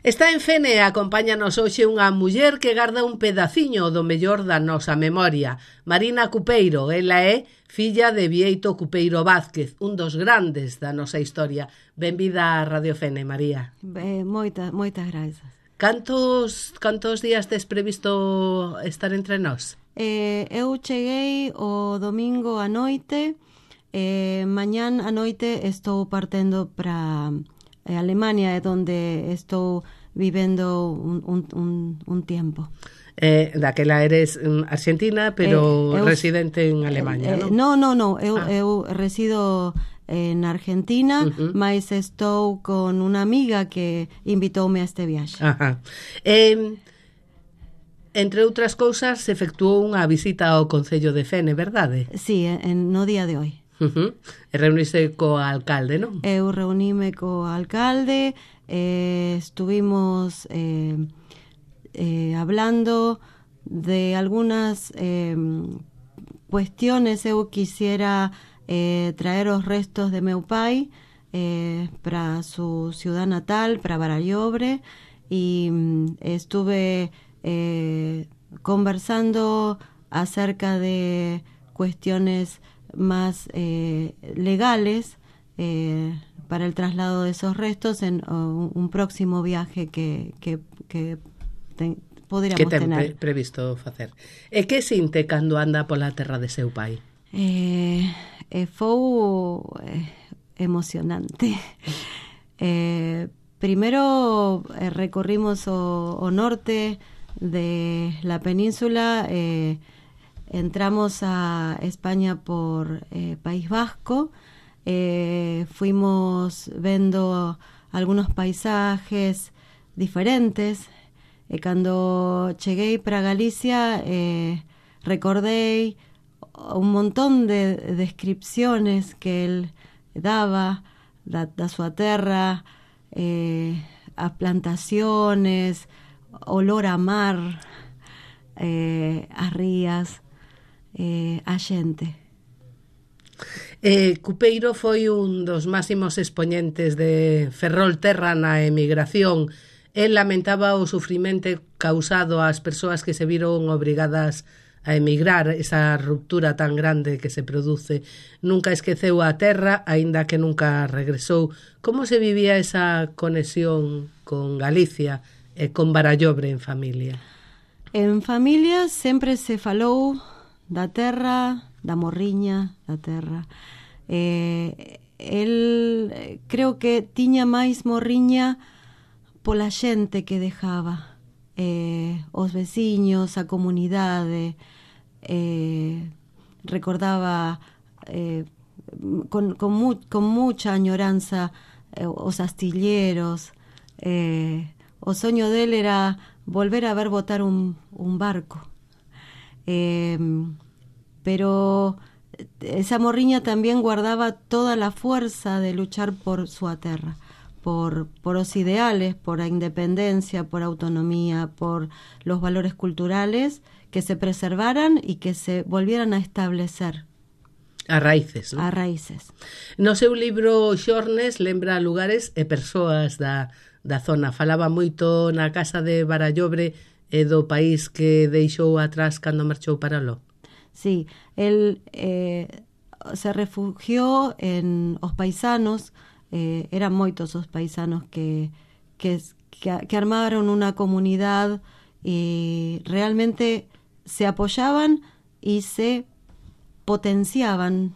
Está en Fene, acompáñanos hoxe unha muller que garda un pedaciño do mellor da nosa memoria. Marina Cupeiro, ela é filla de Bieito Cupeiro Vázquez, un dos grandes da nosa historia. Benvida a Radio Fene, María. Moitas grazas. Cantos días tes previsto estar entre nós? Eu cheguei o domingo a noite, mañán a noite estou partendo para Alemania, é donde estou vivendo un tiempo. Daquela eres argentina, pero residente en Alemania, non? Non, eu resido en Argentina, mas estou con unha amiga que invitoume a este viaxe. Ajá. Entre outras cousas, se efectuou unha visita ao Concello de Fene, verdade? Sí, no día de hoy. E reuniste co alcalde, non? Eu reunime co alcalde, estuvimos hablando de algunas cuestiones. Eu quisiera traer os restos de meu pai para su ciudad natal, para Barallobre, y estuve conversando acerca de cuestiones más legales para el traslado de esos restos en un próximo viaje que poderíamos tener. Que ten previsto facer? E que sinte cando anda pola terra de seu pai? Foi emocionante. Primero recorrimos o norte de la península, entramos a España por País Vasco, fuimos vendo algunos paisajes diferentes. Cando cheguei para Galicia, recordei un montón de descripciones que él daba da súa terra, as plantaciones, olor a mar, as rías, a xente. Cupeiro foi un dos máximos expoñentes de Ferrolterra na emigración. El lamentaba o sufrimento causado ás persoas que se viron obrigadas a emigrar, esa ruptura tan grande que se produce. Nunca esqueceu a terra, aínda que nunca regresou. Como se vivía esa conexión con Galicia e con Barallobre en familia? En familia sempre se falou da terra, da morriña da terra. El creo que tiña máis morriña pola xente que dejaba, os veciños, a comunidade. Recordaba con mucha añoranza os astilleros. O soño del era volver a ver botar un barco. Pero esa morriña también guardaba toda la fuerza de luchar por su terra, por los ideales, por la independencia, por autonomía, por los valores culturales que se preservaran y que se volvieran a establecer. A raíces, non? A raíces. No seu libro Xornes lembra lugares e persoas da zona. Falaba moito na casa de Barallobre e do país que deixou atrás cando marchou para aló. Sí, él se refugió en os paisanos. Eran moitos os paisanos que armaron una comunidad y realmente se apoyaban y se potenciaban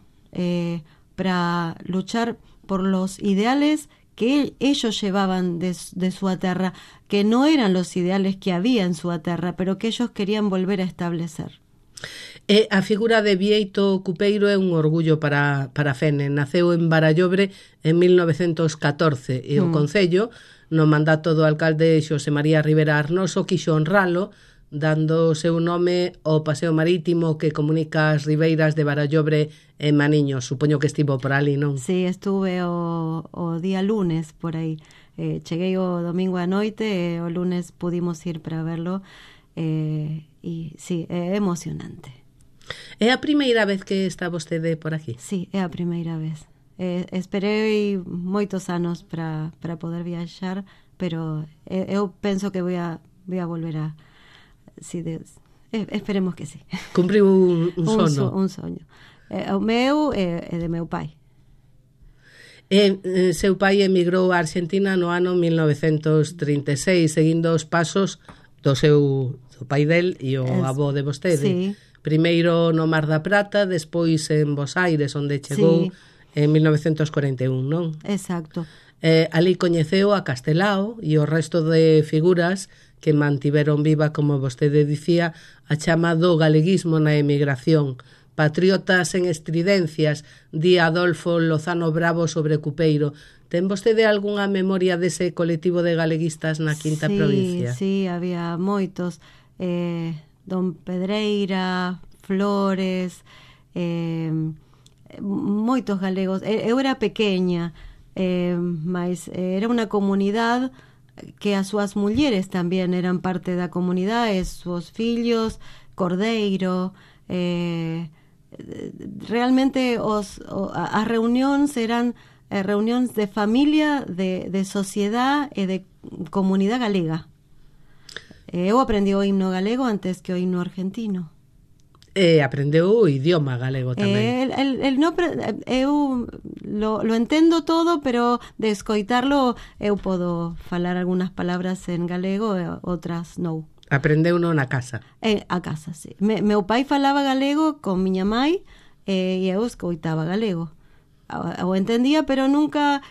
para luchar por los ideales que ellos llevaban de su terra, que no eran los ideales que había en su terra, pero que ellos querían volver a establecer. A figura de Bieito Cupeiro é un orgullo para Fene. Naceu en Barallobre en 1914 e o Concello, no mandato do alcalde Xosé María Rivera Arnoso, quixo honralo dando o seu nome ao paseo marítimo que comunica as ribeiras de Barallobre e Maniño. Supoño que estivo por ali, non? Sí, estuve o día lunes por aí. Cheguei o domingo a noite e o lunes pudimos ir para verlo. E sí, é emocionante. É a primeira vez que está vostede por aquí? Sí, é a primeira vez. Esperei moitos anos para poder viaxar, pero eu penso que voy a volver a... Si esperemos que sí. Cumpriu un sono. Un soño. O meu é de meu pai. Seu pai emigrou a Argentina no ano 1936, seguindo os pasos do pai del e o avó de vostede. Sí. Primeiro no Mar da Plata, despois en Bos Aires, onde chegou en 1941, non? Exacto. Ali coñeceu a Castelao e o resto de figuras que mantiveron viva, como vostede dicía, a chama do galeguismo na emigración. Patriotas en estridencias, di Adolfo Lozano Bravo sobre Cupeiro. Ten vostede algunha memoria dese colectivo de galeguistas na quinta provincia? Sí, había moitos. Don Pedreira, Flores, moitos galegos. Eu era pequeña, mas era unha comunidade que as súas mulleres tamén eran parte da comunidade, os fillos, Cordeiro, realmente as reunións eran reunións de familia, de sociedade e de comunidade galega. Eu aprendi o himno galego antes que o himno argentino. Aprendeu o idioma galego tamén. Eu lo entendo todo, pero de escoitarlo eu podo falar algunhas palabras en galego e outras non. Aprendeu no na casa? A casa, sí. Meu pai falaba galego con miña mai e eu escoitaba galego. O entendía, pero nunca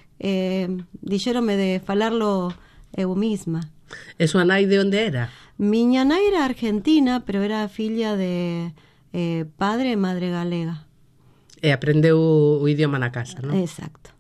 dixéronme de falarlo eu misma. E súa nai de onde era? Miña nai era argentina, pero era filla de padre e madre galega. E aprendeu o idioma na casa, non? Exacto.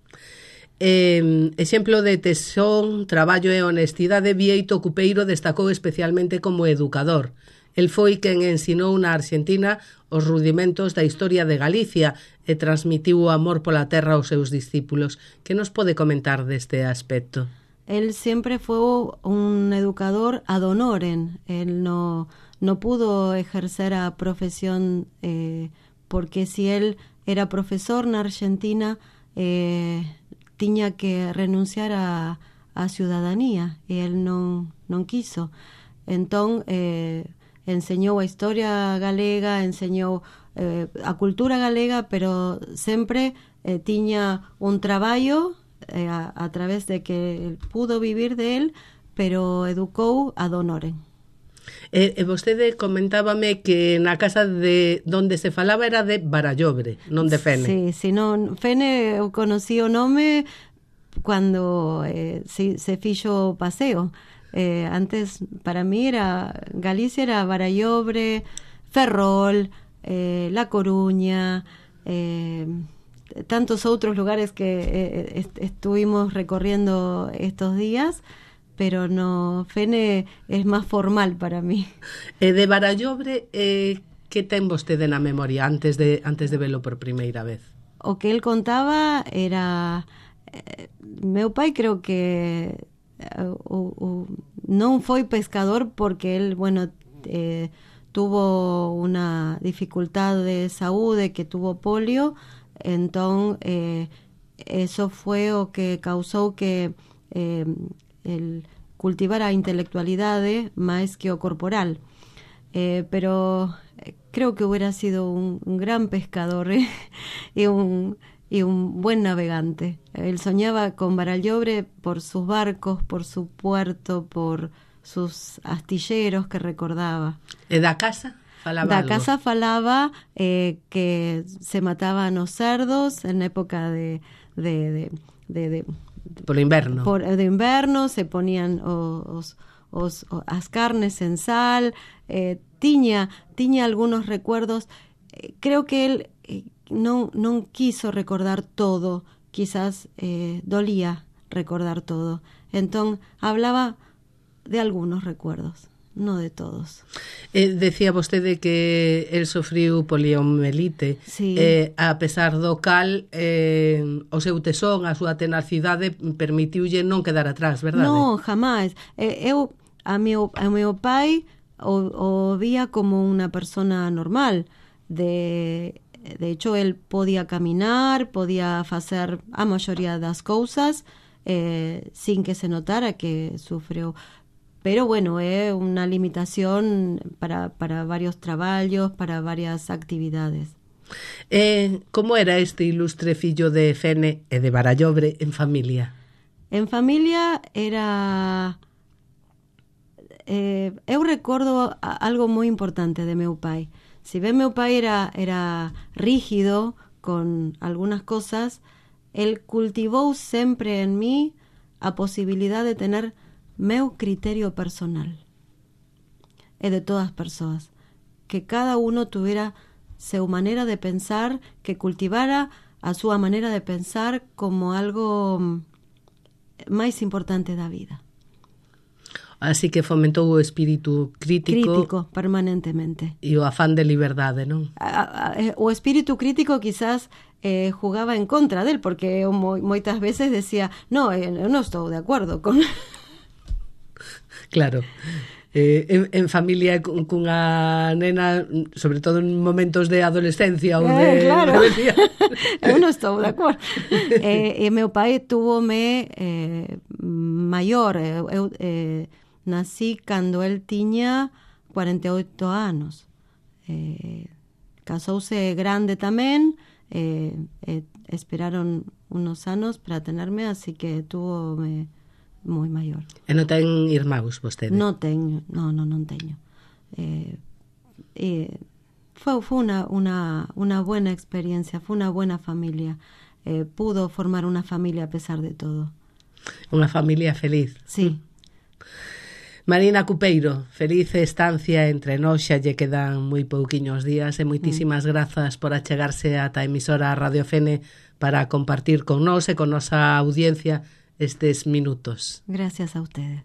Exemplo de tesón, traballo e honestidade, Bieito Cupeiro destacou especialmente como educador. El foi quen ensinou na Argentina os rudimentos da historia de Galicia e transmitiu o amor pola terra aos seus discípulos. Que nos pode comentar deste aspecto? Él siempre fue un educador ad honorem. Él no pudo ejercer a profesión porque si él era profesor en Argentina tenía que renunciar a ciudadanía y él no quiso. Entonces enseñó a historia galega, enseñó a cultura galega, pero siempre tenía un trabajo a través de que pudo vivir de él, pero educou ad honorem. Vostede comentábame que na casa de donde se falaba era de Barallobre, non de Fene. Sí, non, Fene eu conocí o nome cando se fixo o paseo. Antes, para mí, Galicia era Barallobre, Ferrol, La Coruña, tantos outros lugares que estuvimos recorriendo estos días, pero no, Fene es más formal para mí. De Barallobre, que ten vostede na memoria antes de velo por primeira vez? O que él contaba era... meu pai creo que non foi pescador porque él, bueno, tuvo una dificultad de saúde, que tuvo polio. Entón, eso fue o que causou que el cultivara a intelectualidade máis que o corporal. Pero creo que hubiera sido un gran pescador y un buen navegante. Él soñaba con Barallobre por sus barcos, por su puerto, por sus astilleros que recordaba. E da casa? Da casa falaba que se mataban os cerdos en época de por inverno. De inverno se ponían as carnes en sal. Tiña algunos recuerdos. Creo que él non quiso recordar todo. Quizás dolía recordar todo. Entón hablaba de algunos recuerdos, no de todos. Decía vostede que el sofriu poliomielite. Sí. A pesar do cal, o seu tesón, a súa tenacidade permitiulle non quedar atrás, verdade? Non, jamás. A meu pai o vía como unha persona normal. De hecho, él podía caminar, podía facer a maioría das cousas, sin que se notara que sufrió. Pero bueno, é unha limitación para varios traballos, para varias actividades. Como era este ilustre fillo de Fene e de Barallobre en familia? En familia era... eu recordo algo moi importante de meu pai. Si ben meu pai era rígido con algunas cosas, él cultivou sempre en mí a posibilidad de tener meu criterio personal e de todas as persoas, que cada uno tuviera su manera de pensar, que cultivara a súa maneira de pensar como algo máis importante da vida. Así que fomentou o espírito crítico permanentemente. E o afán de liberdade, non? O espírito crítico quizás jugaba en contra del, porque eu moitas veces decía, no, eu non estou de acordo con... Claro. En familia cunha nena, sobre todo en momentos de adolescencia ou de claro. rebelía. Eu non estou de acordo. E meu pai túvome maior. Eu nací cando el tiña 48 anos. Casouse grande tamén. Esperaron unos anos para tenerme, así que túvome moi maior. E non ten irmáns vostede? Non teño. Fue una buena experiencia, fue una buena familia. Pudo formar una familia a pesar de todo. Unha familia feliz. Sí. Marina Cupeiro, feliz estancia entre nós, xa lle quedan moi pouquiños días e moitísimas grazas por achegarse ata a emisora Radio Fene para compartir con nós e con nosa audiencia estes minutos. Gracias a ustedes.